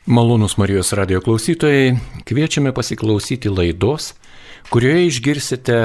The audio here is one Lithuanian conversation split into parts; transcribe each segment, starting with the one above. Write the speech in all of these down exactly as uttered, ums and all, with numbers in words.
Malonūs Marijos radijo klausytojai, kviečiame pasiklausyti laidos, kurioje išgirsite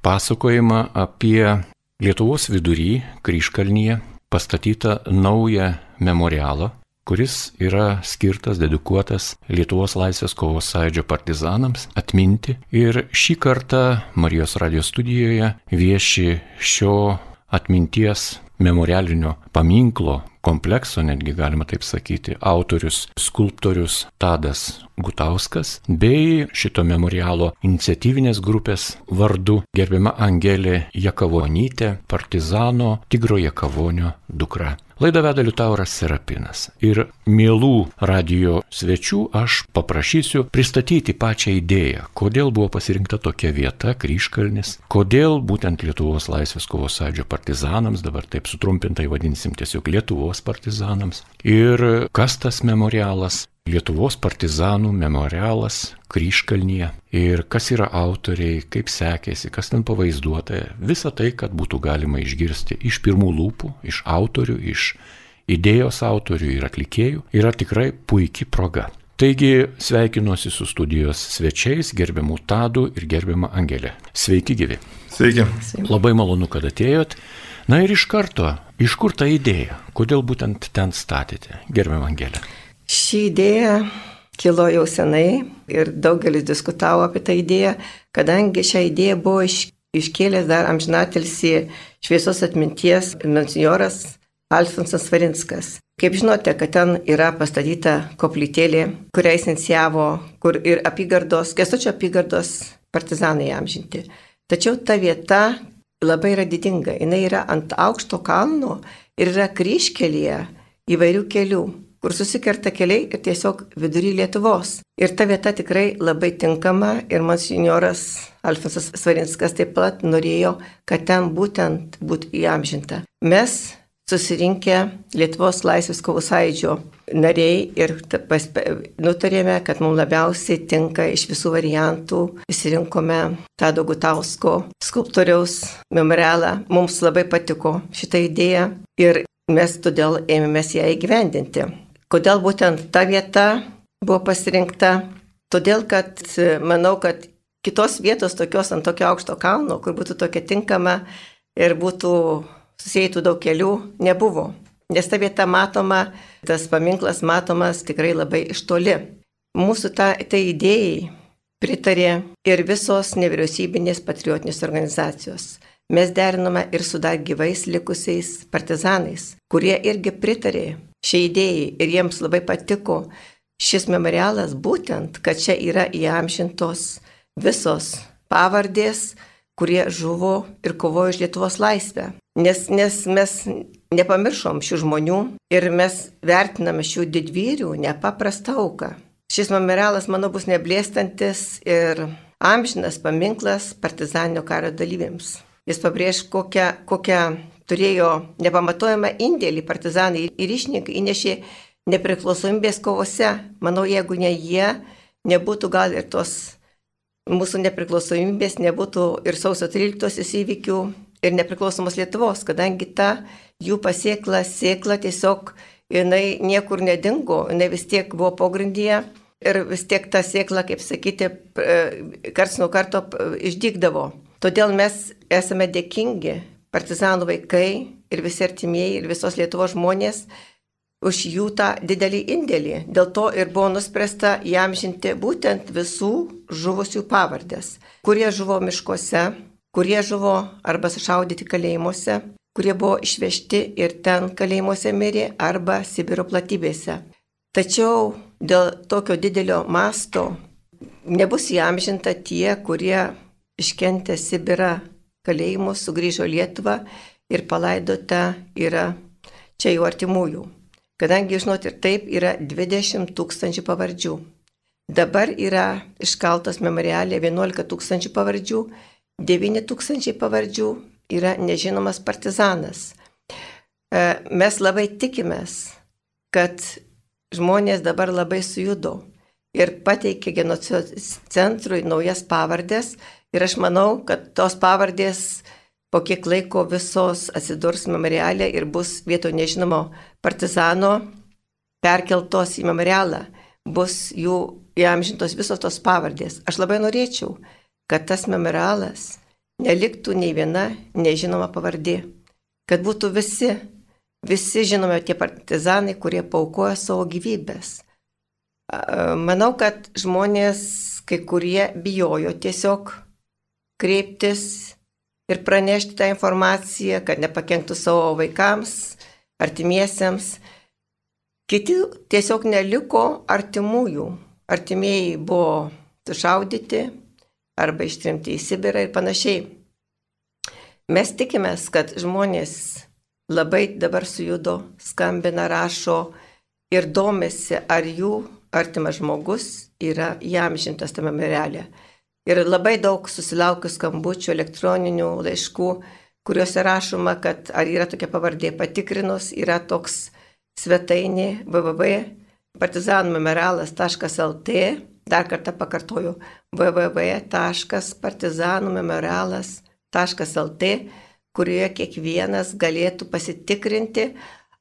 pasakojimą apie Lietuvos vidury, Kryžkalnyje, pastatytą naują memorialą, kuris yra skirtas, dedikuotas Lietuvos laisvės kovos sąjūdžio partizanams atminti. Ir šį kartą Marijos radijo studijoje vieši šio atminties memorialinio paminklo komplekso, netgi galima taip sakyti, autorius, skulptorius Tadas Gutauskas, bei šito memorialo iniciatyvinės grupės vardu gerbiama Angelė Jakavonytė, partizano Tigro Jakavonio dukra. Laidą veda Liutauras Serapinas. Ir mielų radijo svečių aš paprašysiu pristatyti pačią idėją, kodėl buvo pasirinkta tokia vieta, Kryžkalnis, kodėl būtent Lietuvos laisvės kovos sąjūdžio partizanams, dabar taip sutrumpintai vadinsim tiesiog Lietuvos partizanams, ir kas tas memorialas, Lietuvos partizanų memorialas Kryžkalnyje, ir kas yra autoriai, kaip sekėsi, kas ten pavaizduota. Visa tai, kad būtų galima išgirsti iš pirmų lūpų, iš autorių, iš idėjos autorių ir atlikėjų, yra tikrai puikia proga. Taigi sveikinuosi su studijos svečiais, gerbiamų Tadu ir gerbiamą Angelę. Sveiki gyvi. Sveiki. Labai malonu, kad atėjot. Na ir iš karto, iš kur ta idėja? Kodėl būtent ten statėte, gerbiamą Angelę? Ši idėja kilo jau senai ir daugelis diskutavo apie tą idėją, kadangi šią idėją buvo iš, iškėlęs dar amžinatilsį šviesos atminties monsinjoras Alfonsas Svarinskas. Kaip žinote, kad ten yra pastatyta koplytėlė, kurią jis inicijavo, kur ir apygardos, Kęstučio apygardos partizanai amžinti. Tačiau ta vieta labai yra didinga, jinai yra ant aukšto kalno ir yra kryžkelėje įvairių kelių, kur susikerta keliai ir tiesiog vidury Lietuvos. Ir ta vieta tikrai labai tinkama ir monsinjoras Alfonsas Svarinskas taip pat norėjo, kad ten būtent būtų įamžinta. Mes susirinkę Lietuvos laisvės kovos sąjūdžio nariai ir nutarėme, kad mums labiausiai tinka iš visų variantų. Išsirinkome Tado Gutausko skulptoriaus memorialą. Mums labai patiko šitą idėją ir mes todėl ėmėmės ją įgyvendinti. Kodėl būtent ta vieta buvo pasirinkta? Todėl, kad manau, kad kitos vietos tokios ant tokio aukšto kalno, kur būtų tokia tinkama ir būtų susijętų daug kelių, nebuvo. Nes ta vieta matoma, tas paminklas matomas tikrai labai iš toli. Mūsų ta, tai idėjai pritarė ir visos nevyriausybinės patriotinės organizacijos. Mes derinome ir su dar gyvais likusiais partizanais, kurie irgi pritarė šiai idėjai ir jiems labai patiko šis memorialas būtent, kad čia yra įamžintos visos pavardės, kurie žuvo ir kovojo už Lietuvos laisvę. Nes, nes mes nepamiršom šių žmonių ir mes vertiname šių didvyrių nepaprastą auką. Šis memorialas, manau, bus neblėstantis ir amžinas paminklas partizaninio karo dalyviams. Jis pabrėž, kokią, kokią turėjo nepamatuojamą indėlį partizanai ir ryšininkai įnešė nepriklausomybės kovose. Manau, jeigu ne jie, nebūtų gal ir tos mūsų nepriklausomybės, nebūtų ir sausio tryliktosios įvykių ir nepriklausomos Lietuvos, kadangi ta jų pasiekla sėkla tiesiog jinai niekur nedingo, jinai vis tiek buvo pogrindyje ir vis tiek ta sėkla, kaip sakyti, karts nuo karto išdygdavo. Todėl mes esame dėkingi partizanų vaikai ir visi artimieji ir visos Lietuvos žmonės už jų tą didelį indėlį. Dėl to ir buvo nuspręsta įamžinti būtent visų žuvusių pavardės, kurie žuvo miškuose, kurie žuvo arba sušaudyti kalėjimuose, kurie buvo išvežti ir ten kalėjimuose mirė arba Sibiro platybėse. Tačiau dėl tokio didelio masto nebus įamžinta tie, kurie iškentė Sibirą kalėjimus, sugrįžo Lietuvą ir palaidota yra čia jų artimųjų. Kadangi, žinot, ir taip yra dvidešimt tūkstančių pavardžių. Dabar yra iškaltos memorialė vienuolika tūkstančių pavardžių, devyni tūkstančiai pavardžių yra nežinomas partizanas. Mes labai tikimės, kad žmonės dabar labai sujudo ir pateikė genocido centrui naujas pavardės. Ir aš manau, kad tos pavardės po kiek laiko visos atsidurs memorialė ir bus vietoj nežinomo partizano perkeltos į memorialą. bus jų įamžintos visos tos pavardės. Aš labai norėčiau, kad tas memorialas neliktų nei viena nežinoma pavardė, kad būtų visi, visi žinome tie partizanai, kurie paaukojo savo gyvybės. Manau, kad žmonės, kai kurie bijojo tiesiog kreiptis ir pranešti tą informaciją, kad nepakenktų savo vaikams, artimiesiems. Kiti tiesiog neliko artimųjų. Artimieji buvo sušaudyti arba ištrimti į Sibirą ir panašiai. Mes tikimės, kad žmonės labai dabar sujudo, skambina, rašo ir domisi, ar jų artimas žmogus yra įamžintas tame memoriale. Ir labai daug susilaukiu skambučių, elektroninių laiškų, kuriuose rašoma, kad ar yra tokia pavardė patikrinus, yra toks svetainė w w w taškas partizanų memorialas taškas l t, dar kartą pakartoju, w w w taškas partizanų memorialas taškas l t, kurioje kiekvienas galėtų pasitikrinti,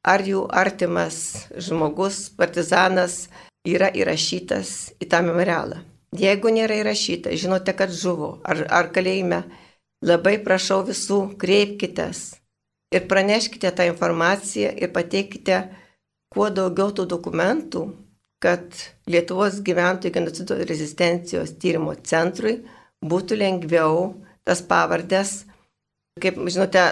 ar jų artimas žmogus, partizanas, yra įrašytas į tą memorialą. Jeigu nėra įrašyta, žinote, kad žuvo ar, ar kalėjime, labai prašau visų, kreipkitės ir praneškite tą informaciją ir pateikite kuo daugiau tų dokumentų, kad Lietuvos gyventojų genocido rezistencijos tyrimo centrui būtų lengviau tas pavardės, kaip žinote,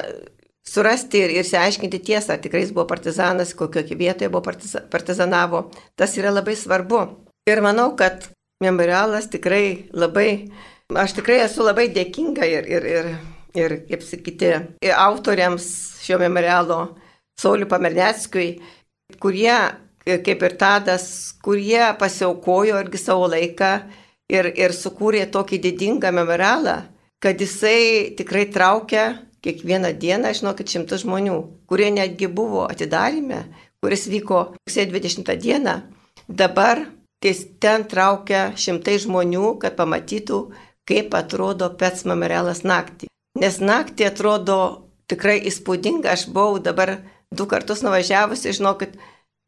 surasti ir išsiaiškinti tiesą, ar tikrai jis buvo partizanas, kokioje vietoje buvo partizanavo. Tas yra labai svarbu. Ir manau, kad memorialas tikrai labai, aš tikrai esu labai dėkinga ir, ir, ir, ir kaip sakyti, ir autoriams šio memorialo, Sauliui Pamerneckiui, kurie, kaip ir Tadas, kurie pasiaukojo irgi savo laiką ir, ir sukūrė tokį didingą memorialą, kad jisai tikrai traukia kiekvieną dieną, žinokit, šimtus žmonių, kurie netgi buvo atidaryme, kuris vyko rugsėjo dvidešimtą dieną. Dabar ten traukia šimtai žmonių, kad pamatytų, kaip atrodo Pec memorialas naktį. Nes naktį atrodo tikrai įspūdinga. Aš buvau dabar du kartus nuvažiavusi, žinokit,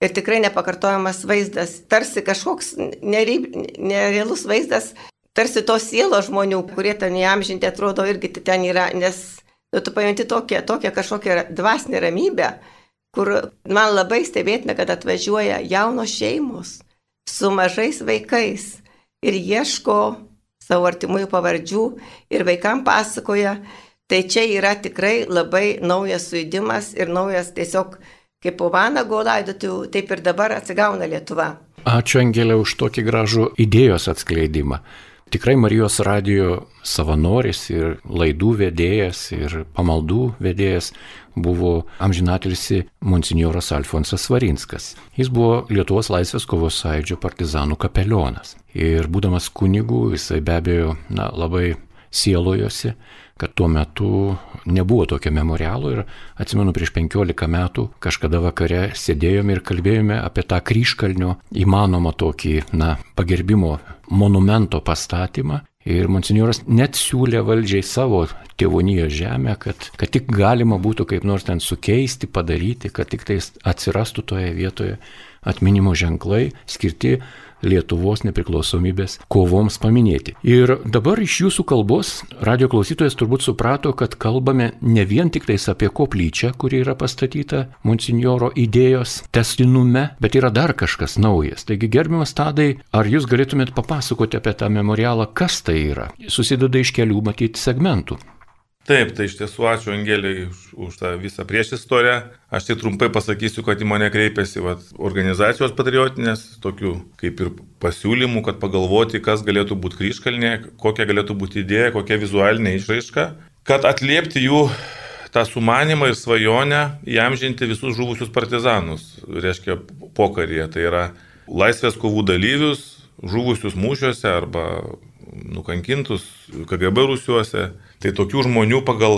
ir tikrai nepakartojamas vaizdas. Tarsi kažkoks nerealus vaizdas, tarsi tos sielos žmonių, kurie ten įamžinti, atrodo irgi ten yra, nes nu, tu pajunti tokią, tokią kažkokią dvasinę ramybę, kur man labai stebėtina, kad atvažiuoja jaunos šeimos su mažais vaikais ir ieško savo artimųjų pavardžių ir vaikam pasakoja. Tai čia yra tikrai labai naujas sujudimas ir naujas tiesiog kaip po vanago laidotuvių, taip ir dabar atsigauna Lietuva. Ačiū, Angelė, už tokį gražų idėjos atskleidimą. Tikrai Marijos radijo savanoris ir laidų vedėjas ir pamaldų vedėjas buvo amžinatilsį monsinjoras Alfonsas Svarinskas. Jis buvo Lietuvos laisvės kovos sąjūdžio partizanų kapelionas. Ir būdamas kunigu, jisai be abejo na, labai sielojosi, kad tuo metu nebuvo tokio memorialo ir atsimenu prieš penkiolika metų kažkada vakare sėdėjome ir kalbėjome apie tą Kryžkalnio įmanomą tokį na, pagerbimo monumento pastatymą ir monsinjoras net siūlė valdžiai savo tėvonijos žemę, kad, kad tik galima būtų kaip nors ten sukeisti, padaryti, kad tik tai atsirastų toje vietoje atminimo ženklai skirti Lietuvos nepriklausomybės kovoms paminėti. Ir dabar iš jūsų kalbos radio klausytojas turbūt suprato, kad kalbame ne vien tik tais apie koplyčią, kuri yra pastatyta monsinjoro idėjos tęstinume, bet yra dar kažkas naujas. Taigi, gerbiamas Tadai, ar jūs galėtumėt papasakoti apie tą memorialą, kas tai yra? Susideda iš kelių matyti segmentų. Taip, tai iš tiesų ačiū Angeliai už, už tą visą priešistorę. Aš tik trumpai pasakysiu, kad į mane kreipėsi vat, organizacijos patriotinės, tokių kaip ir pasiūlymų, kad pagalvoti, kas galėtų būti Kryžkalnė, kokia galėtų būti idėja, kokia vizualinė išraiška, kad atliepti jų tą sumanimą ir svajonę įamžinti visus žuvusius partizanus, reiškia pokaryje. Tai yra laisvės kovų dalyvius, žuvusius mūšiuose arba nukankintus K G B rūsiuose. Tai tokių žmonių pagal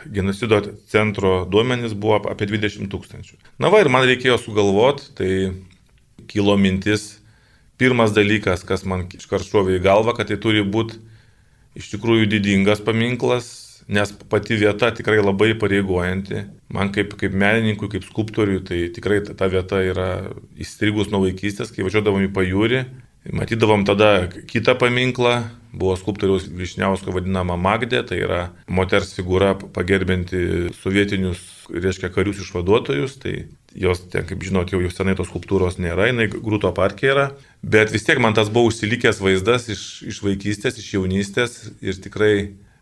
genocido centro duomenys buvo apie dvidešimt tūkstančių. Na va, ir man reikėjo sugalvoti, tai kilo mintis, pirmas dalykas, kas man iškart šovė į galvą, kad tai turi būti iš tikrųjų didingas paminklas, nes pati vieta tikrai labai pareigojanti. Man kaip, kaip menininkui, kaip skulptoriui, tai tikrai ta vieta yra įstrigus nuo vaikystės, kai važiuodavom į pajūrį. Matydavom tada kitą paminklą, buvo skulptoriaus Vyšniausko vadinama Magdė, tai yra moters figūra pagerbinti sovietinius, reiškia, karius išvaduotojus, tai jos, ten, kaip žinot, jau, jau senai tos skulptūros nėra, jinai Grūto parke yra, bet vis tiek man tas buvo užsilikęs vaizdas iš, iš vaikystės, iš jaunystės ir tikrai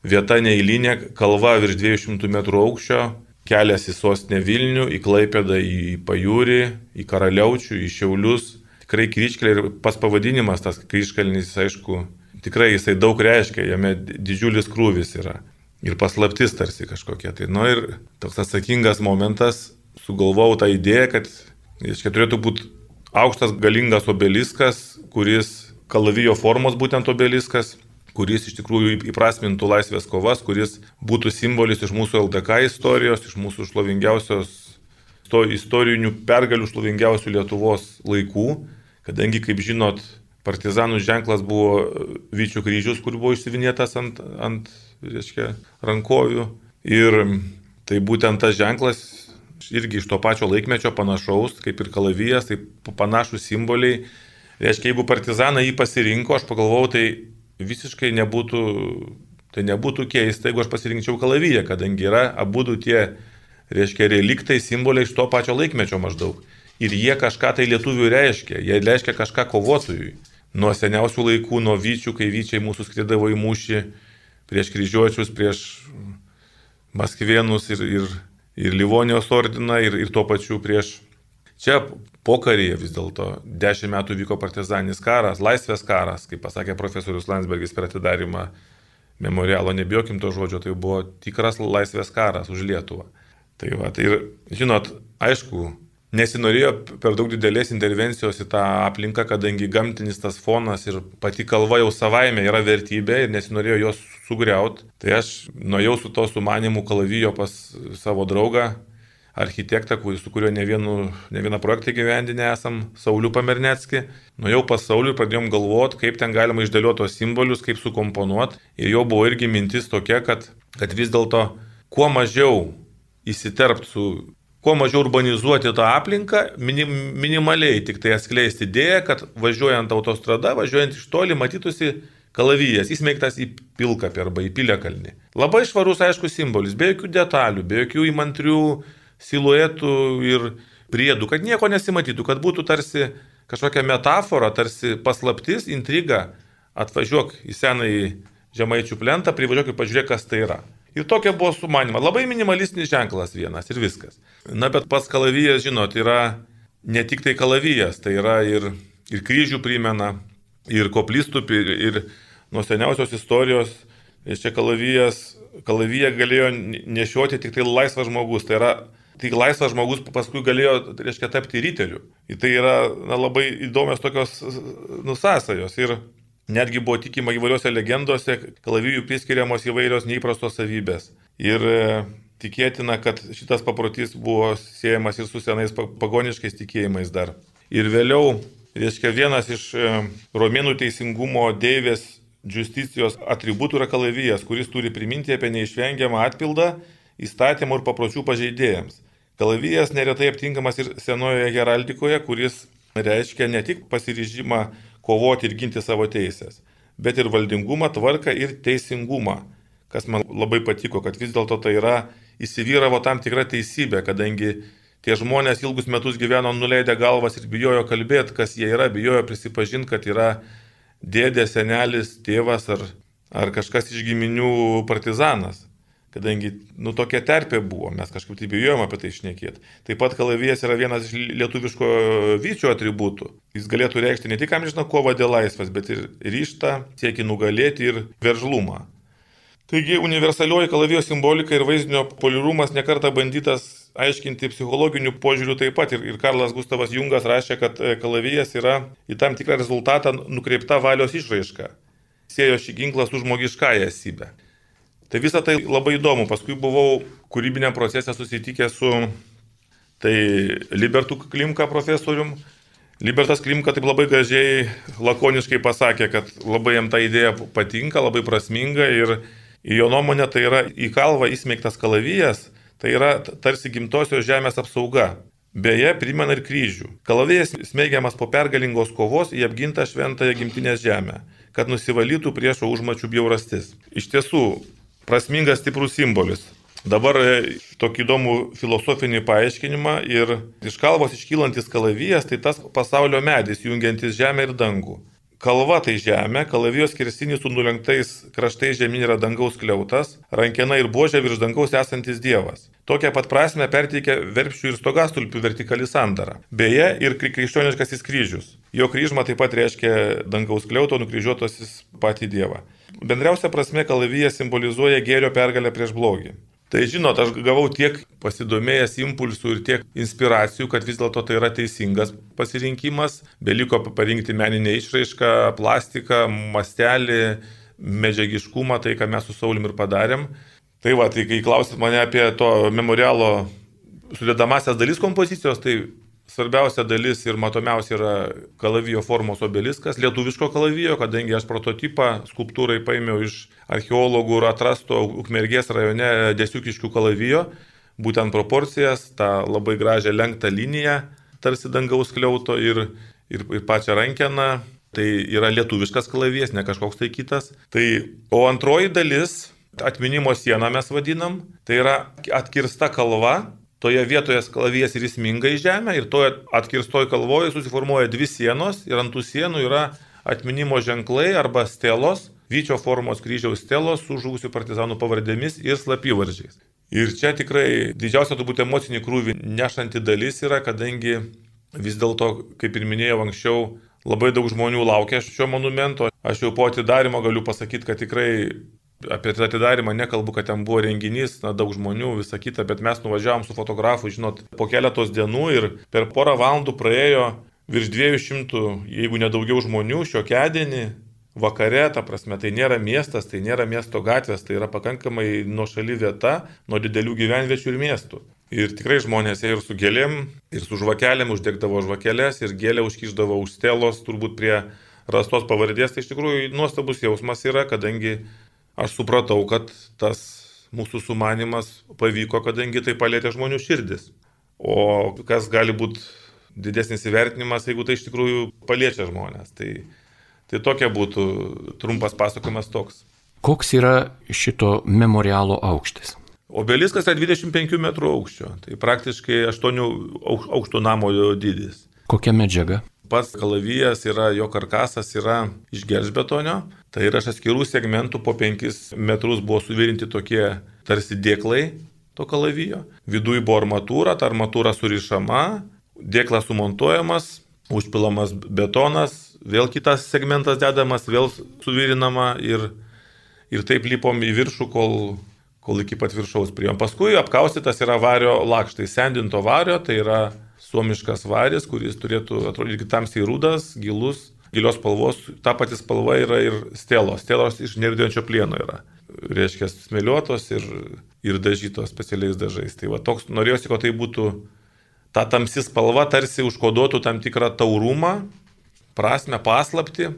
vieta neeilinė, kalva virš dviejų šimtų metrų aukščio, kelias į sostinę Vilnių, į Klaipėdą, į Pajūrį, į Karaliaučių, į Šiaulius. Tikrai kryžkelė ir pas pavadinimas tas kryžkalnis, aišku, tikrai jisai daug reiškia, jame didžiulis krūvis yra. Ir paslaptis tarsi kažkokia. Tai, nu ir toks atsakingas momentas, sugalvojau tą idėją, kad, reiškia, turėtų būti aukštas galingas obeliskas, kuris, kalavijo formos būtent obeliskas, kuris iš tikrųjų įprasmintų laisvės kovas, kuris būtų simbolis iš mūsų L D K istorijos, iš mūsų šlovingiausios, to istorinių pergalių šlovingiausių Lietuvos laikų. Kadangi, kaip žinot, partizanų ženklas buvo Vyčių kryžius, kur buvo išsivinėtas ant, ant reiškia, rankovių. Ir tai būtent tas ženklas irgi iš to pačio laikmečio panašaus, kaip ir kalavijas, tai panašus simboliai. Reiškia, jeigu partizanai jį pasirinko, aš pagalvojau, tai visiškai nebūtų, tai nebūtų keista, jeigu aš pasirinkčiau kalaviją, kadangi yra abudu tie, reiškia, reliktai, simboliai iš to pačio laikmečio maždaug. Ir jie kažką tai lietuvių reiškia, jie reiškia kažką kovotojui. Nuo seniausių laikų, nuo Vyčių, kai Vyčiai mūsų skridavo į mūšį prieš kryžiuočius, prieš Maskvėnus ir, ir, ir Livonijos ordiną ir, ir tuo pačiu prieš... Čia pokaryje vis dėlto dešimt metų vyko partizaninis karas, laisvės karas, kaip pasakė profesorius Landsbergis per atidarimą memorialo, nebijokim to žodžio, tai buvo tikras laisvės karas už Lietuvą. Tai va, tai ir, žinot, aišku, nesinorėjo per daug didelės intervencijos į tą aplinką, kadangi gamtinis tas fonas ir pati kalva jau savaime yra vertybė ir nesinorėjo jos sugriauti. Tai aš nuėjau su to sumanimu kalavijo pas savo draugą, architektą, su kuriuo ne, vienu, ne vieną projektą gyvendinę esam, Saulių Pamernecki. Nuėjau pas Saulių ir pradėjom galvoti, kaip ten galima išdėlioti tos simbolius, kaip sukomponuoti. Ir jo buvo irgi mintis tokia, kad, kad vis dėlto kuo mažiau įsiterpti su... Kuo mažiau urbanizuoti tą aplinką, minim, minimaliai tik tai atskleisti idėją, kad važiuojant autostrada, važiuojant iš toli, matytųsi kalavijas, įsmeigtas į pilkapį arba į piliakalnį. Labai švarus, aišku, simbolis, be jokių detalių, be jokių įmantrių siluetų ir priedų, kad nieko nesimatytų, kad būtų tarsi kažkokia metafora, tarsi paslaptis, intriga. Atvažiuok į senąjį Žemaičių plentą, privažiuok ir pažiūrėk, kas tai yra. Ir tokia buvo sumanima. Labai minimalistinis ženklas vienas ir viskas. Na, bet pats kalavijas, žinot, yra ne tik tai kalavijas, tai yra ir, ir kryžių primena, ir koplystupį, ir, ir nuo seniausios istorijos, čia kalavijas, kalaviją galėjo nešioti tik tai laisvas žmogus. Tai yra, tik laisvas žmogus paskui galėjo, reiškia, tapti ryteliu. Ir tai yra na, labai įdomios tokios nusąsajos. Ir netgi buvo tikima įvairiose legendose, kalavijų priskiriamos įvairios neįprastos savybės. Ir e, tikėtina, kad šitas paprotys buvo siejamas ir su senais pagoniškais tikėjimais dar. Ir vėliau, reiškia, vienas iš e, romėnų teisingumo deivės justicijos atributų yra kalavijas, kuris turi priminti apie neišvengiamą atpildą įstatymų ir papročių pažeidėjams. Kalavijas neretai aptinkamas ir senojoje heraldikoje, kuris reiškia ne tik pasiryžimą kovoti ir ginti savo teisės, bet ir valdingumą, tvarką ir teisingumą, kas man labai patiko, kad vis dėlto tai yra įsivyravo tam tikra teisybė, kadangi tie žmonės ilgus metus gyveno nuleidę galvas ir bijojo kalbėti, kas jie yra, bijojo prisipažinti, kad yra dėdė, senelis, tėvas ar, ar kažkas iš giminių partizanas. Kadangi, nu, tokia terpė buvo, mes kažkaip tai bijojom apie tai šnekėti. Taip pat kalavijas yra vienas iš lietuviško Vyčio atributų. Jis galėtų reikšti ne tik amžiną kovą dėl laisvės, bet ir ryžtą, siekį nugalėti ir veržlumą. Taigi, universalioji kalavijo simbolika ir vaizdinio polirumas nekartą bandytas aiškinti psichologinių požiūrių taip pat. Ir, ir Karlas Gustavas Jungas rašė, kad kalavijas yra į tam tikrą rezultatą nukreipta valios išraiška. Siejo šį ginklą su žmogiškąja esybe. Tai visą tai labai įdomu. Paskui buvau kūrybiniam procese susitikęs su tai Libertu Klimka profesorium. Libertas Klimka taip labai gražiai, lakoniškai pasakė, kad labai jam ta idėja patinka, labai prasminga ir Ir jo nuomonė tai yra į kalvą įsmeigtas kalavijas, tai yra tarsi gimtosios žemės apsauga. Beje, primena ir kryžių. Kalavijas smeigiamas po pergalingos kovos į apgintą šventąją gimtinės žemę, kad nusivalytų priešo užmačių bjaurastis. Iš tiesų, prasmingas stiprus simbolis. Dabar tokį įdomų filosofinį paaiškinimą ir iš kalvos iškylantis kalavijas, tai tas pasaulio medis, jungiantis žemę ir dangų. Kalva tai žemė, kalavijos skersinis su nulenktais kraštais žemyn yra dangaus kliautas, rankena ir buožė virš dangaus esantis dievas. Tokią pat prasme perteikia verpšių ir stogastulpių vertikali sandara. Beje, ir krikščioniškasis kryžius. Jo kryžma taip pat reiškia dangaus kliauto nukryžiuotasis patį dievą. Bendriausia prasme kalavijas simbolizuoja gėrio pergalę prieš blogį. Tai žinot, aš gavau tiek pasidomėjęs impulsų ir tiek inspiracijų, kad vis dėlto tai yra teisingas pasirinkimas. Beliko parinkti meninę išraišką, plastiką, mastelį, medžiagiškumą, tai ką mes su Saulim ir padarėm. Tai va, tai kai klausit mane apie to memorialo sudedamasias dalis kompozicijos, tai svarbiausia dalis ir matomiausia yra kalavijo formos obeliskas, lietuviško kalavijo, kadangi aš prototipą skulptūrai paėmiau iš archeologų ir atrasto Ukmergės rajone Desiukiškių kalavijo, būtent proporcijas, tą labai gražią lenktą liniją, tarsi dangaus kliauto ir, ir, ir pačią rankeną. Tai yra lietuviškas kalavijas, ne kažkoks tai kitas. Tai, o antroji dalis, atminimo siena mes vadinam, tai yra atkirsta kalva. Toje vietoje kalavijas ir įsminga į žemę ir toje atkirstoje kalvoje susiformuoja dvi sienos ir ant tų sienų yra atminimo ženklai arba stelos, vyčio formos kryžiaus stelos su žuvusių partizanų pavardėmis ir slapyvardžiais. Ir čia tikrai didžiausia turbūt emocinį krūvį nešanti dalis yra, kadangi vis dėlto, kaip ir minėjau anksčiau, labai daug žmonių laukia šio monumento. Aš jau po atidarymo galiu pasakyti, kad tikrai apie tą atidarimą nekalbu, kad ten buvo renginys, na, daug žmonių, visa kita, bet mes nuvažiavom su fotografu, žinot, po keletos dienų ir per porą valandų praėjo virš dviejų šimtų, jeigu nedaugiau žmonių, šiokiadienį, vakare, ta prasme, tai nėra miestas, tai nėra miesto gatvės, tai yra pakankamai nuošali vieta nuo didelių gyvenviečių ir miestų. Ir tikrai žmonės ėjo ir su gėlėm, ir su žvakelėm, uždegdavo žvakelės, ir gėlę užkišdavo už stelos, turbūt prie rastos pavardės, tai iš tikrųjų nuostabus jausmas yra, kadangi aš supratau, kad tas mūsų sumanimas pavyko, kadangi tai palėtė žmonių širdis. O kas gali būti didesnis įvertinimas, jeigu tai iš tikrųjų paliečia žmonės. Tai, tai tokia būtų trumpas pasakojimas toks. Koks yra šito memorialo aukštis? Obeliskas yra dvidešimt penkių metrų aukščio. Tai praktiškai aštuonių aukštų namo dydis. Kokia medžiaga? Pats kalavijas yra, jo karkasas yra iš gelžbetonio, tai yra iš atskirų segmentų po penkis metrus buvo suvirinti tokie tarsi dėklai to kalavijo. Viduje buvo armatūra, ta armatūra surišama, dėklas sumontuojamas, užpilamas betonas, vėl kitas segmentas dedamas, vėl suvirinama ir, ir taip lipom į viršų, kol, kol iki pat viršaus priėjom. Paskui apkaustytas yra vario lakštai, sendinto vario, tai yra suomiškas varis, kuris turėtų atrodyti tamsiai rudas, gilus, gilios spalvos. Ta pati spalva yra ir stelos. Stelos iš nerūdijančio plieno yra. Reiškia, smėliuotos ir, ir dažytos specialiais dažais. Tai va, toks norėjosi, kad tai būtų ta tamsi spalva, tarsi užkoduotų tam tikrą taurumą, prasme, paslaptį.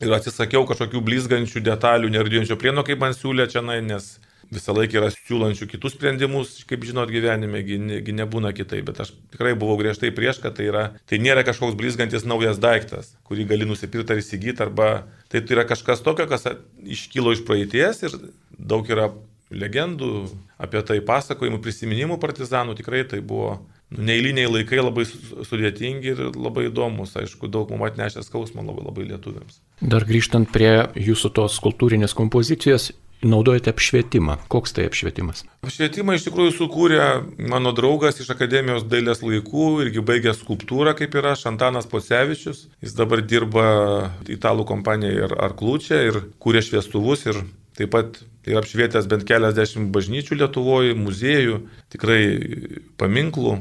Ir atsisakiau kažkokių blizgančių detalių nerūdijančio plieno, kaip man siūlė čia, nes visą laiką yra siūlančių kitus sprendimus, kaip žinot, gyvenime, gi, ne, gi nebūna kitai, bet aš tikrai buvau griežtai prieš, kad tai, yra, tai nėra kažkoks blizgantis naujas daiktas, kurį gali nusipirkti ar įsigyti, arba tai yra kažkas tokio, kas iškilo iš praeities ir daug yra legendų apie tai, pasakojimų, prisiminimų partizanų, tikrai tai buvo nu, neeiliniai laikai, labai sudėtingi ir labai įdomus, aišku, daug mums atnešė skausmą labai, labai lietuviams. Dar grįžtant prie jūsų tos kultūrinės kompozicijos, naudojate apšvietimą. Koks tai apšvietimas? Apšvietimą iš tikrųjų sukūrė mano draugas iš Akademijos dailės laikų, irgi baigęs skulptūrą kaip ir aš, Antanas Pocevičius. Jis dabar dirba italų kompanijoje Arklūčia ir kūrė šviestuvus ir taip pat yra apšvietęs bent keliasdešimt bažnyčių Lietuvoje, muziejų, tikrai paminklų.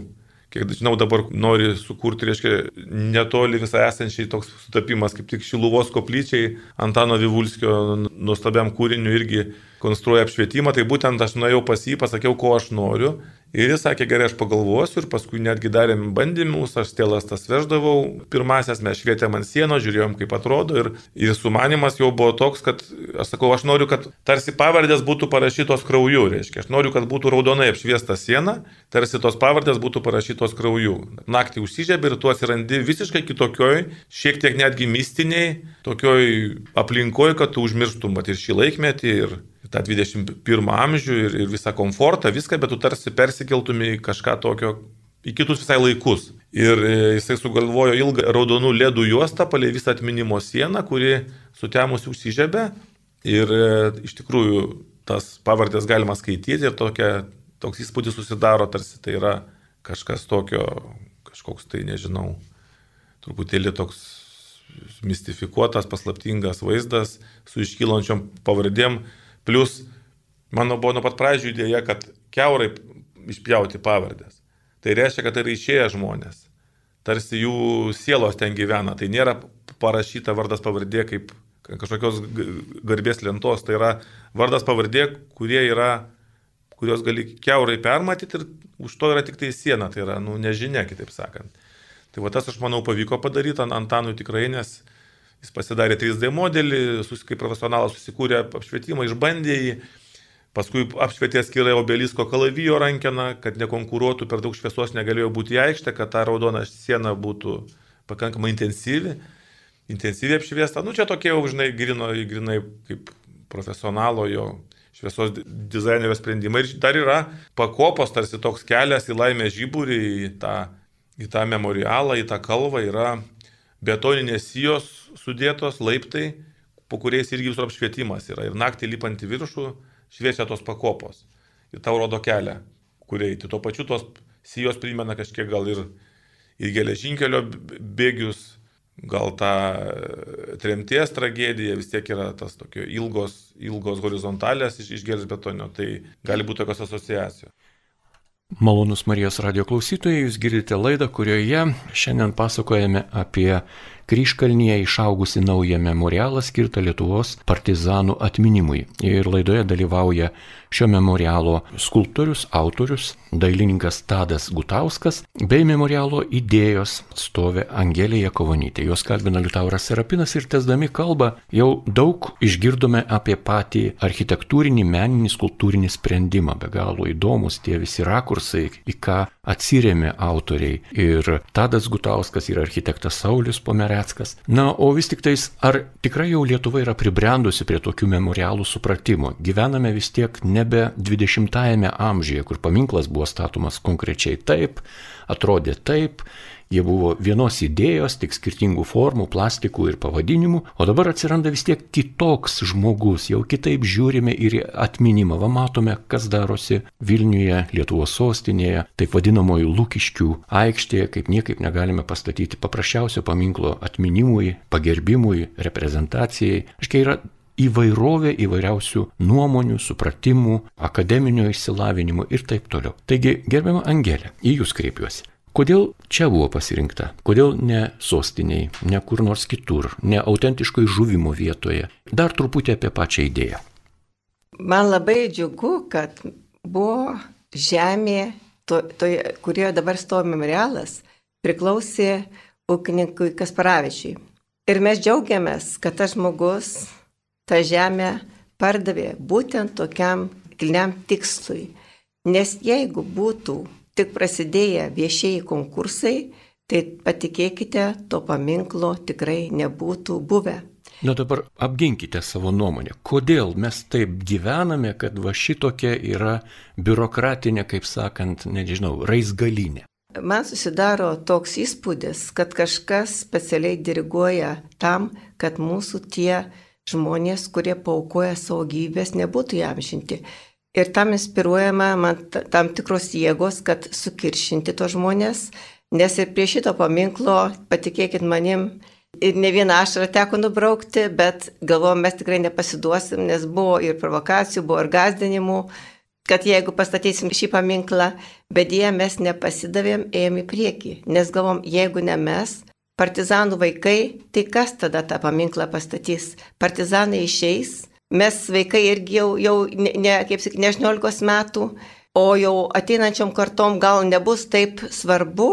Kiek žinau, dabar nori sukurti, reiškia, netoli visai esančiai toks sutapimas, kaip tik Šiluvos koplyčiai, Antano Vivulskio nuostabiam kūriniu irgi konstruoja apšvietimą, tai būtent aš nuėjau pas jį, pasakiau, ko aš noriu Ir jis sakė, gerai, aš pagalvosiu ir paskui netgi darėm bandymus, aš stėlas tas veždavau, pirmasias mes švietėm ant sienos, žiūrėjom kaip atrodo ir, ir sumanimas jau buvo toks, kad aš sakau, aš noriu, kad tarsi pavardės būtų parašytos krauju, reiškia, aš noriu, kad būtų raudonai apšviesta siena, tarsi tos pavardės būtų parašytos krauju. Naktį užsižiebė ir tu atsirandi visiškai kitokioj, šiek tiek netgi mistiniai, tokioj aplinkoje, kad tu užmirštum mat, ir šį laikmetį, ir tą dvidešimt pirmą amžių, ir, ir visą komfortą, viską, bet tu tarsi persikeltumai kažką tokio į kitus visai laikus. Ir jisai sugalvojo ilgą raudonų ledų juostą palei visą atminimo sieną, kuri sutemusi užsižiebė. Ir iš tikrųjų tas pavardės galima skaityti ir tokia, toks įspūdis susidaro, tarsi tai yra kažkas tokio, kažkoks tai, nežinau, truputėlį toks mistifikuotas, paslaptingas vaizdas su iškylančiom pavardėm. Plus, mano buvo nuo pat pradžių idėja, kad kiaurai išpjauti pavardės. Tai reiškia, kad tai yra išėję žmonės. Tarsi jų sielos ten gyvena. Tai nėra parašyta vardas pavardė kaip kažkokios garbės lentos. Tai yra vardas pavardė, kurie yra, kurios gali kiaurai permatyti ir už to yra tik tai siena. Tai yra, nu, nežinia, kitaip sakant. Tai va tas, aš manau, pavyko padaryti Antanui tikrai, nes jis pasidarė trys D modelį, kaip profesionalas susikūrė apšvietimą, išbandė jį, paskui apšvietė skirai obelisko kalavijo rankeną, kad nekonkuruotų, per daug šviesos negalėjo būti į aikštę, kad ta raudona siena būtų pakankamai intensyvi, intensyviai apšviesta. Nu, čia tokie jau, žinai, grino, grinai kaip profesionalo jo šviesos dizainerio sprendimai. Ir dar yra pakopos, tarsi toks kelias į Laimės žiburį, į tą, į tą memorialą, į tą kalvą yra betoninės sijos sudėtos laiptai, po kuriais irgi visur apšvietimas yra. Ir naktį lipant į viršų šviečia tos pakopos. Ir tau rodo kelią, kur eiti. Tuo pačiu tos sijos primena kažkiek gal ir, ir geležinkelio bėgius, gal tą tremties tragediją, vis tiek yra tas tokio ilgos, ilgos horizontalės iš, iš gelžbetonio. Tai gali būti tokios asociacijos. Malonus Marijos radijo klausytojai, jūs girdite laidą, kurioje šiandien pasakojame apie Kryžkalnyje išaugusi naują memorialą skirtą Lietuvos partizanų atminimui. Ir laidoje dalyvauja šio memorialo skulptorius, autorius, dailininkas Tadas Gutauskas bei memorialo idėjos atstovė Angelė Jakavonytė. Jos kalbina Liutauras Serapinas ir tęsdami kalbą jau daug išgirdome apie patį architektūrinį, meninį, skulptūrinį sprendimą. Be galo įdomus tie visi rakursai, į ką atsirėmė autoriai. Ir Tadas Gutauskas ir architektas Saulius Pomereckas. Na, o vis tik tais, ar tikrai jau Lietuva yra pribrendusi prie tokių memorialų supratimo? Gyvename vis tiek nebe dvidešimtajame amžiuje, kur paminklas buvo statomas konkrečiai taip, atrodė taip, jie buvo vienos idėjos, tik skirtingų formų, plastikų ir pavadinimų, o dabar atsiranda vis tiek kitoks žmogus, jau kitaip žiūrime ir į atminimą. Va matome, kas darosi Vilniuje, Lietuvos sostinėje, taip vadinamoji Lukiškių aikštėje, kaip niekaip negalime pastatyti paprasčiausio paminklo atminimui, pagerbimui, reprezentacijai. Aiškiai yra įvairovė įvairiausių nuomonių, supratimų, akademinio išsilavinimo ir taip toliau. Taigi, gerbiama Angelė, į jūs kreipiuosi. Kodėl čia buvo pasirinkta? Kodėl ne sostiniai, ne kur nors kitur, ne autentiškai žuvimo vietoje? Dar truputį apie pačią idėją. Man labai džiugu, kad buvo žemė, to, to, kurioje dabar stovi memorialas, priklausė ūkininkui Kasparavičiui. Ir mes džiaugiamės, kad tas žmogus tą žemę pardavė būtent tokiam kilniam tikslui. Nes jeigu būtų tik prasidėję viešieji konkursai, tai patikėkite, to paminklo tikrai nebūtų buvę. Na dabar apginkite savo nuomonę. Kodėl mes taip gyvename, kad va šitokia yra biurokratinė, kaip sakant, nežinau, raizgalinė? Man susidaro toks įspūdis, kad kažkas specialiai diriguoja tam, kad mūsų tie žmonės, kurie paaukoja savo gyvybės, nebūtų įamžinti. Ir tam inspiruojama man tam tikros jėgos, kad sukiršinti tos žmonės, nes ir prie šito paminklo, patikėkit manim, ir ne vieną ašarą teko nubraukti, bet galvojom, mes tikrai nepasiduosim, nes buvo ir provokacijų, buvo ir gąsdinimų, kad jeigu pastatysim šį paminklą, bet jie mes nepasidavėm, ėjom į priekį, nes galvom, jeigu ne mes, partizanų vaikai, tai kas tada tą paminklą pastatys? Partizanai išeis. Mes vaikai irgi jau, jau ne, ne, kaip sakyt, ne aštuoniolikos metų, o jau ateinančiom kartom gal nebus taip svarbu,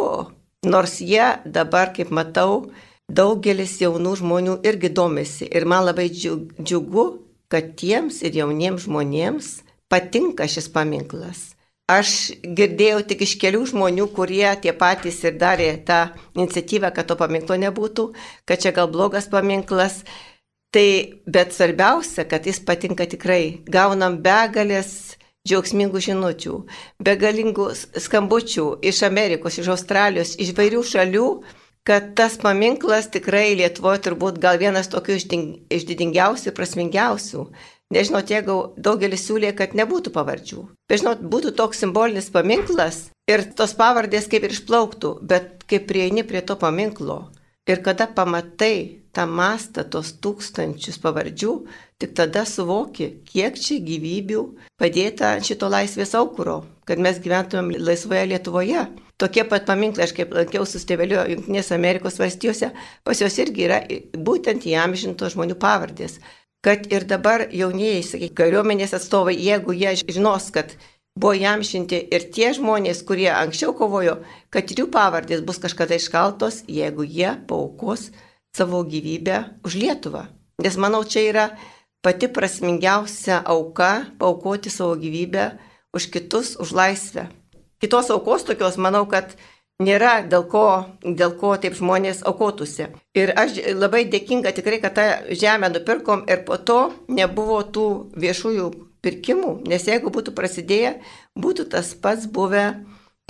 nors jie dabar, kaip matau, daugelis jaunų žmonių irgi domisi. Ir man labai džiugu, kad tiems ir jauniems žmonėms patinka šis paminklas. Aš girdėjau tik iš kelių žmonių, kurie tie patys ir darė tą iniciatyvą, kad to paminklo nebūtų, kad čia gal blogas paminklas. Tai, bet svarbiausia, kad jis patinka tikrai. Gaunam begalės džiaugsmingų žinučių, begalingų skambučių iš Amerikos, iš Australijos, iš vairių šalių, kad tas paminklas tikrai Lietuvoje turbūt gal vienas tokių iš didingiausių ir prasmingiausių. Nežinot, jeigu daugelis siūlė, kad nebūtų pavardžių. Bet žinot, būtų toks simbolinis paminklas ir tos pavardės kaip ir išplauktų, bet kaip prieini prie to paminklo ir kada pamatai tą mastą, tos tūkstančius pavardžių, tik tada suvoki, kiek čia gyvybių padėta ant šito laisvės aukuro, kad mes gyventumėm laisvoje Lietuvoje. Tokie pat paminklai, aš kaip lankiausi su tėveliu Junktinės Amerikos valstijose, pas jos irgi yra būtent įamžintos žmonių pavardės. Kad ir dabar jaunieji, sakykime, kariuomenės atstovai, jeigu jie žinos, kad buvo įamžinti ir tie žmonės, kurie anksčiau kovojo, kad jų pavardės bus kažkada iškaltos, jeigu jie paaukos savo gyvybę už Lietuvą. Nes manau, čia yra pati prasmingiausia auka paaukoti savo gyvybę už kitus, už laisvę. Kitos aukos tokios, manau, kad nėra dėl ko, dėl ko taip žmonės aukotųsi. Ir aš labai dėkinga tikrai, kad tą žemę nupirkom ir po to nebuvo tų viešųjų pirkimų, nes jeigu būtų prasidėję, būtų tas pats buvę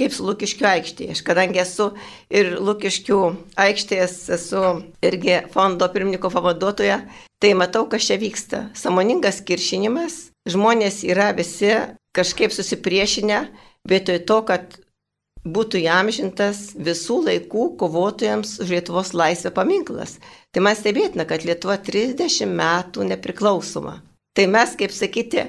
kaip su Lukiškių aikštėje. Aš kadangi esu ir Lukiškių aikštės, esu irgi fondo pirmininko pavaduotoja, tai matau, kas čia vyksta. Sąmoningas kiršinimas, žmonės yra visi kažkaip susipriešinę, vietoj to, kad būtų įamžintas visų laikų kovotojams už Lietuvos laisvę paminklas. Tai man stebėtina, kad Lietuva trisdešimt metų nepriklausoma. Tai mes, kaip sakyti,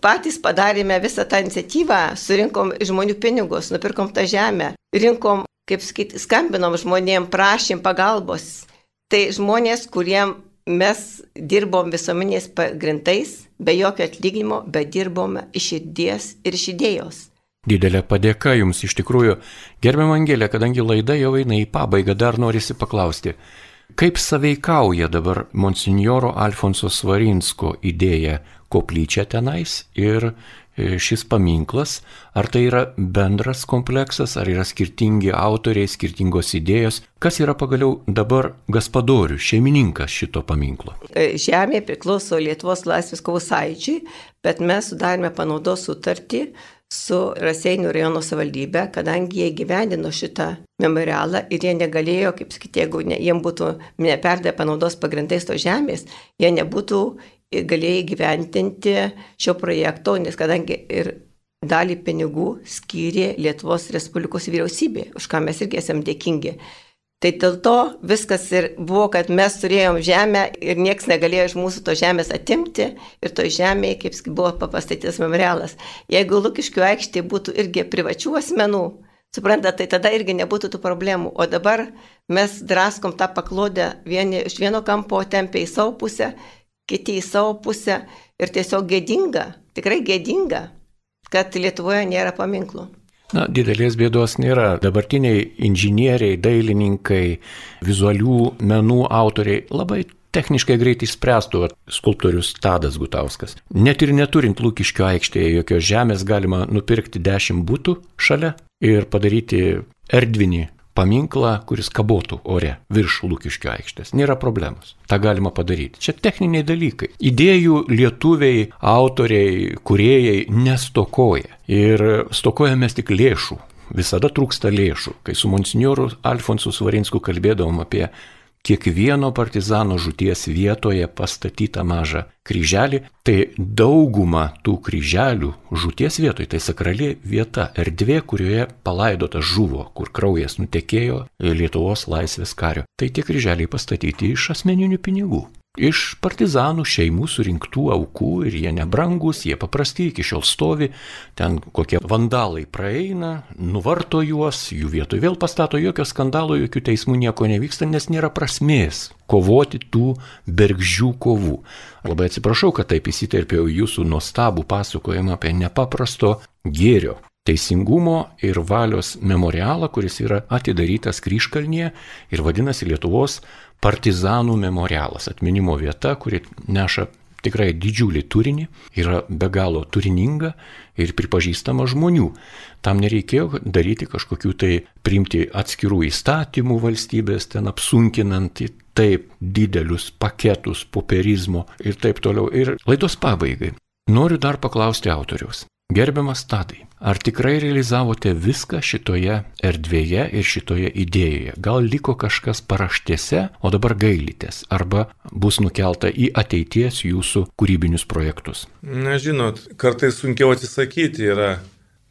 patys padarėme visą tą iniciatyvą, surinkom žmonių pinigus, nupirkom tą žemę, rinkom, kaip sakyti, skambinom žmonėm, prašym pagalbos. Tai žmonės, kuriem mes dirbom visuomenės pagrindais, be jokio atlyginimo, bet dirbome iš širdies ir iš idėjos. Didelė padėka jums iš tikrųjų. Gerbiama Angelė, kadangi laida jau eina į pabaigą, dar norisi paklausti, kaip saveikauja dabar monsinjoro Alfonso Svarinsko idėja koplyčia tenais ir šis paminklas, ar tai yra bendras kompleksas, ar yra skirtingi autoriai, skirtingos idėjos, kas yra pagaliau dabar gaspadorius, šeimininkas šito paminklo? Žemė priklauso Lietuvos laisvės kovų sąjūdžiui, bet mes sudarėme panaudos sutartį su Raseinių rajono savivaldybė, kadangi jie gyvendino šitą memorialą ir jie negalėjo, kaip sakyti, jeigu ne, jiems būtų neperdavę panaudos pagrindais to žemės, jie nebūtų galėjai gyventinti šio projekto, nes kadangi ir dalį pinigų skyrė Lietuvos Respublikos vyriausybė, už ką mes irgi esame dėkingi. Tai dėl to viskas ir buvo, kad mes turėjom žemę ir nieks negalėjo iš mūsų to žemės atimti ir to žemėje, kaip buvo pastatytas memorialas. Jeigu Lukiškių aikštė būtų irgi privačių asmenų, suprantat, tai tada irgi nebūtų tų problemų. O dabar mes draskom tą paklodę, vieni iš vieno kampo tempia į savo pusę, kiti į savo pusę ir tiesiog gėdinga, tikrai gėdinga, kad Lietuvoje nėra paminklų. Na, didelės bėdos nėra. Dabartiniai inžinieriai, dailininkai, vizualių menų autoriai labai techniškai greitai išspręstų, skulptorius Tadas Gutauskas. Net ir neturint Lukiškių aikštėje jokios žemės galima nupirkti dešimt butų šalia ir padaryti erdvinį paminklą, kuris kabotų ore virš Lukiškių aikštės. Nėra problemos. Ta galima padaryti. Čia techniniai dalykai. Idėjų lietuviai, autoriai, kūrėjai nestokoja. Ir stokojame tik lėšų. Visada trūksta lėšų. Kai su monsinjoru Alfonsu Svarinsku kalbėdavom apie kiekvieno partizano žūties vietoje pastatytą mažą kryželį, tai dauguma tų kryželių žūties vietoje, tai sakrali vieta, erdvė, kurioje palaidotas žuvo, kur kraujas nutekėjo Lietuvos laisvės kario. Tai tie kryželiai pastatyti iš asmeninių pinigų. iš partizanų šeimų surinktų aukų ir jie nebrangus, jie paprasti, iki šiol stovi, ten kokie vandalai praeina, nuvarto juos, jų vietoj vėl pastato, jokio skandalo, jokių teismų nieko nevyksta, nes nėra prasmės kovoti tų bergždžių kovų. Labai atsiprašau, kad taip įsiterpiau jūsų nuostabų pasakojimą apie nepaprasto gėrio, teisingumo ir valios memorialą, kuris yra atidarytas Kryžkalnyje ir vadinasi Lietuvos partizanų memorialas, atminimo vieta, kuri neša tikrai didžiulį turinį, yra be galo turininga ir pripažįstama žmonių. Tam nereikėjo daryti kažkokių tai priimti atskirų įstatymų valstybės, ten apsunkinant taip didelius paketus popierizmo ir taip toliau. Ir laidos pabaigai noriu dar paklausti autoriaus. Gerbiamas Tadai, ar tikrai realizavote viską šitoje erdvėje ir šitoje idėjoje? Gal liko kažkas paraštėse, o dabar gailitės, arba bus nukelta į ateities jūsų kūrybinius projektus? Na, žinot, kartais sunkiau atsisakyti yra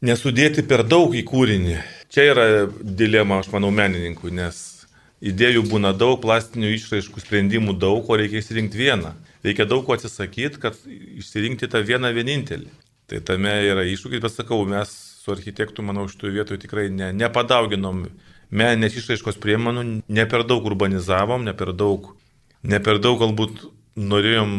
nesudėti per daug į kūrinį. Čia yra dilema, aš manau, menininkų, nes idėjų būna daug, plastinių išraiškų sprendimų daug, o reikia išsirinkti vieną. Reikia daug ko atsisakyti, kad išsirinkti tą vieną vienintelį. Tai tame yra iššūkis, bet sakau, mes su architektu, manau, šitoje vietoje tikrai ne, nepadauginom meninės išraiškos priemonių, ne per daug urbanizavom, ne per daug, ne per daug galbūt norėjom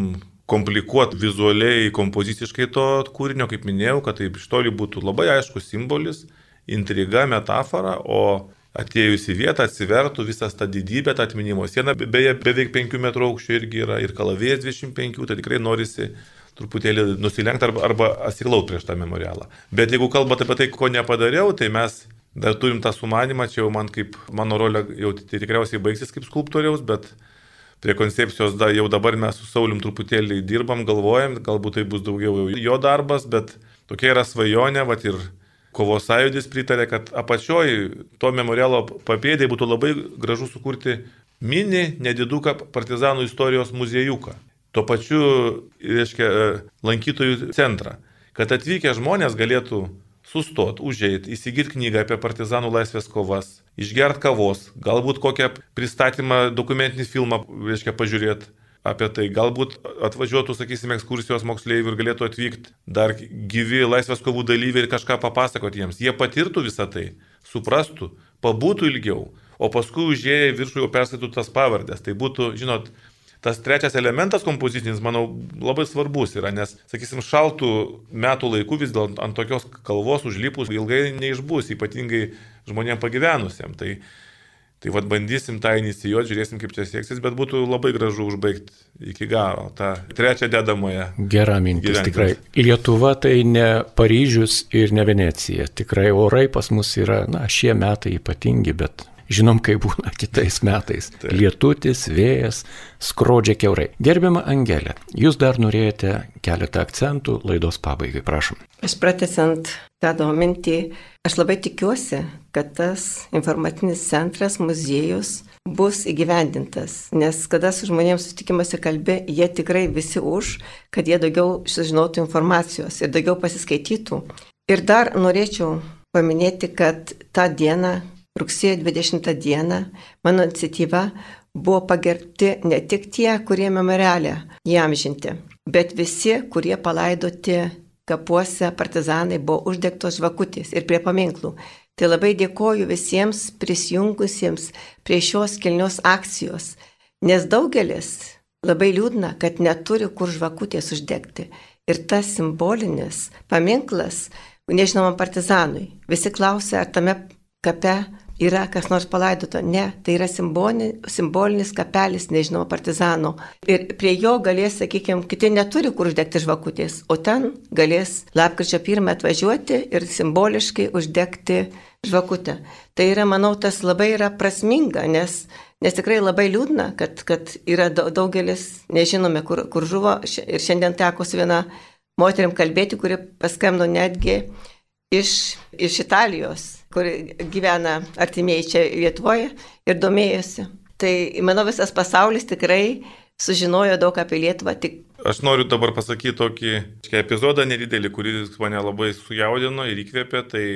komplikuoti vizualiai, kompoziciškai to kūrinio, kaip minėjau, kad taip iš toli būtų labai aiškus simbolis, intriga, metafora, o atėjus į vietą atsivertų visas tą didybę, tą atminimo sieną, beje, beveik penkių metrų aukščio irgi yra ir kalavijas dvidešimt penkių, tai tikrai norisi truputėlį nusilenkti arba, arba atsiklaupti prieš tą memorialą. Bet jeigu kalbate apie tai, ko nepadariau, tai mes dar turim tą sumanimą, čia jau man kaip, mano rolė jau tai tikriausiai baigsis kaip skulptoriaus, bet prie koncepcijos da, jau dabar mes su Saulium truputėlį dirbam, galvojam, galbūt tai bus daugiau jo darbas, bet tokia yra svajonė, vat ir Kovos sąjūdis pritarė, kad apačioj to memorialo papėdėje būtų labai gražu sukurti mini nediduką partizanų istorijos muziejuką. Tuo pačiu, reiškia, lankytojų centrą, kad atvykę žmonės galėtų sustoti, užeiti, įsigyti knygą apie partizanų laisvės kovas, išgerti kavos, galbūt kokią pristatymą, dokumentinį filmą, reiškia, pažiūrėti apie tai, galbūt atvažiuotų, sakysime, ekskursijos moksleivių ir galėtų atvykti dar gyvi laisvės kovų dalyviai ir kažką papasakoti jiems. Jie patirtų visą tai, suprastų, pabūtų ilgiau, o paskui užėję į viršų jau perskaitų tas pavardės. Tai būtų, žinot, tas trečias elementas kompozicinis, manau, labai svarbus yra, nes, sakysim, šaltų metų laikų vis dėl ant tokios kalvos užlipus ilgai neišbus, ypatingai žmonėms pagyvenusiems. Tai, tai vad bandysim tą inicijuoti, žiūrėsim, kaip čia seksis, bet būtų labai gražu užbaigti iki galo tą trečią dedamąją. Gera mintis, tikrai. Lietuva tai ne Paryžius ir ne Venecija. Tikrai orai pas mus yra, na, šie metai ypatingi, bet žinom, kaip būna kitais metais. Taip. Lietutis, vėjas, skrodžia kiaurai. Gerbiama Angelė, jūs dar norėjote keletą akcentų laidos pabaigai, prašom. Aš pratęsiant tą mintį, aš labai tikiuosi, kad tas informacinis centras, muziejus bus įgyvendintas, nes kada su žmonėms susitikimuose kalbė, jie tikrai visi už, kad jie daugiau sužinotų informacijos ir daugiau pasiskaitytų. Ir dar norėčiau paminėti, kad tą dieną, rugsėjo dvidešimtą dieną, mano iniciatyva buvo pagerbti ne tik tie, kurie memoriale įamžinti, bet visi, kurie palaidoti kapuose partizanai, buvo uždegtos žvakutės ir prie paminklų. Tai labai dėkoju visiems prisijungusiems prie šios kilnios akcijos, nes daugelis labai liūdna, kad neturi kur žvakutės uždegti. Ir tas simbolinis paminklas, nežinomam partizanui, visi klausia, ar tame kape yra kas nors palaidoto. Ne, tai yra simbolinis, simbolinis kapelis nežinomo partizano. Ir prie jo galės, sakykime, kiti neturi kur uždegti žvakutės, o ten galės lapkričio pirmą atvažiuoti ir simboliškai uždegti žvakutę. Tai yra, manau, tas labai yra prasminga, nes, nes tikrai labai liūdna, kad, kad yra daugelis, nežinome, kur, kur žuvo. Ir šiandien teko su viena moterim kalbėti, kuri paskambino netgi iš, iš Italijos, kur gyvena artimieji čia Lietuvoje ir domėjosi. Tai, manau, visas pasaulis tikrai sužinojo daug apie Lietuvą. Tik... Aš noriu dabar pasakyti tokį epizodą nedidelį, kuris mane labai sujaudino ir įkvėpė. Tai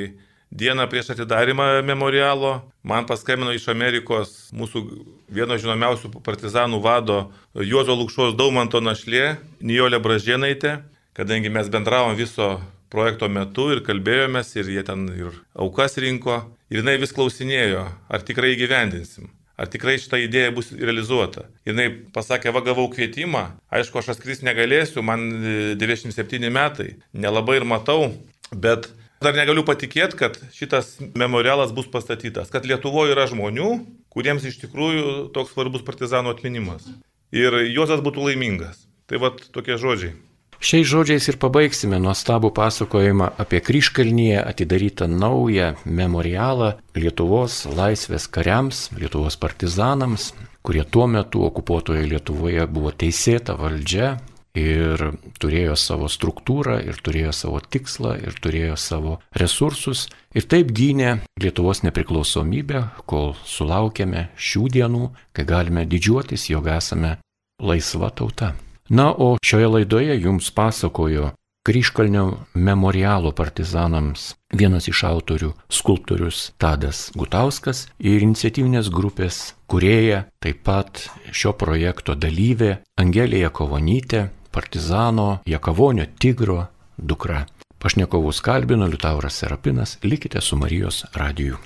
dieną prieš atidarimą memorialo man paskambino iš Amerikos mūsų vieno žinomiausių partizanų vado Juozo Lukšos Daumanto našlė Nijolė Bražėnaitė, kadangi mes bendravom viso projekto metu ir kalbėjomės ir jie ten ir aukas rinko ir jinai vis klausinėjo, ar tikrai įgyvendinsim. Ar tikrai šitą idėją bus realizuota. Ir jinai pasakė, va gavau kvietimą, aišku, aš atskris negalėsiu, man devyniasdešimt septyni metai, nelabai ir matau, bet dar negaliu patikėti, kad šitas memorialas bus pastatytas, kad Lietuvoje yra žmonių, kuriems iš tikrųjų toks svarbus partizanų atminimas. Ir Juozas būtų laimingas. Tai va tokie žodžiai. Šiais žodžiais ir pabaigsime nuostabų pasakojimą apie Kryžkalnyje atidarytą naują memorialą Lietuvos laisvės kariams, Lietuvos partizanams, kurie tuo metu okupuotoje Lietuvoje buvo teisėta valdžia ir turėjo savo struktūrą, ir turėjo savo tikslą, ir turėjo savo resursus. Ir taip gynė Lietuvos nepriklausomybę, kol sulaukėme šių dienų, kai galime didžiuotis, jog esame laisva tauta. Na, o šioje laidoje jums pasakojo Kryžkalnio memorialo partizanams vienas iš autorių skulptorius Tadas Gutauskas ir iniciatyvinės grupės kūrėja, taip pat šio projekto dalyvė Angelė Jakavonytė, partizano Jakavonio Tigro dukra. Pašnekovus kalbino Liutauras Serapinas, likite su Marijos radiju.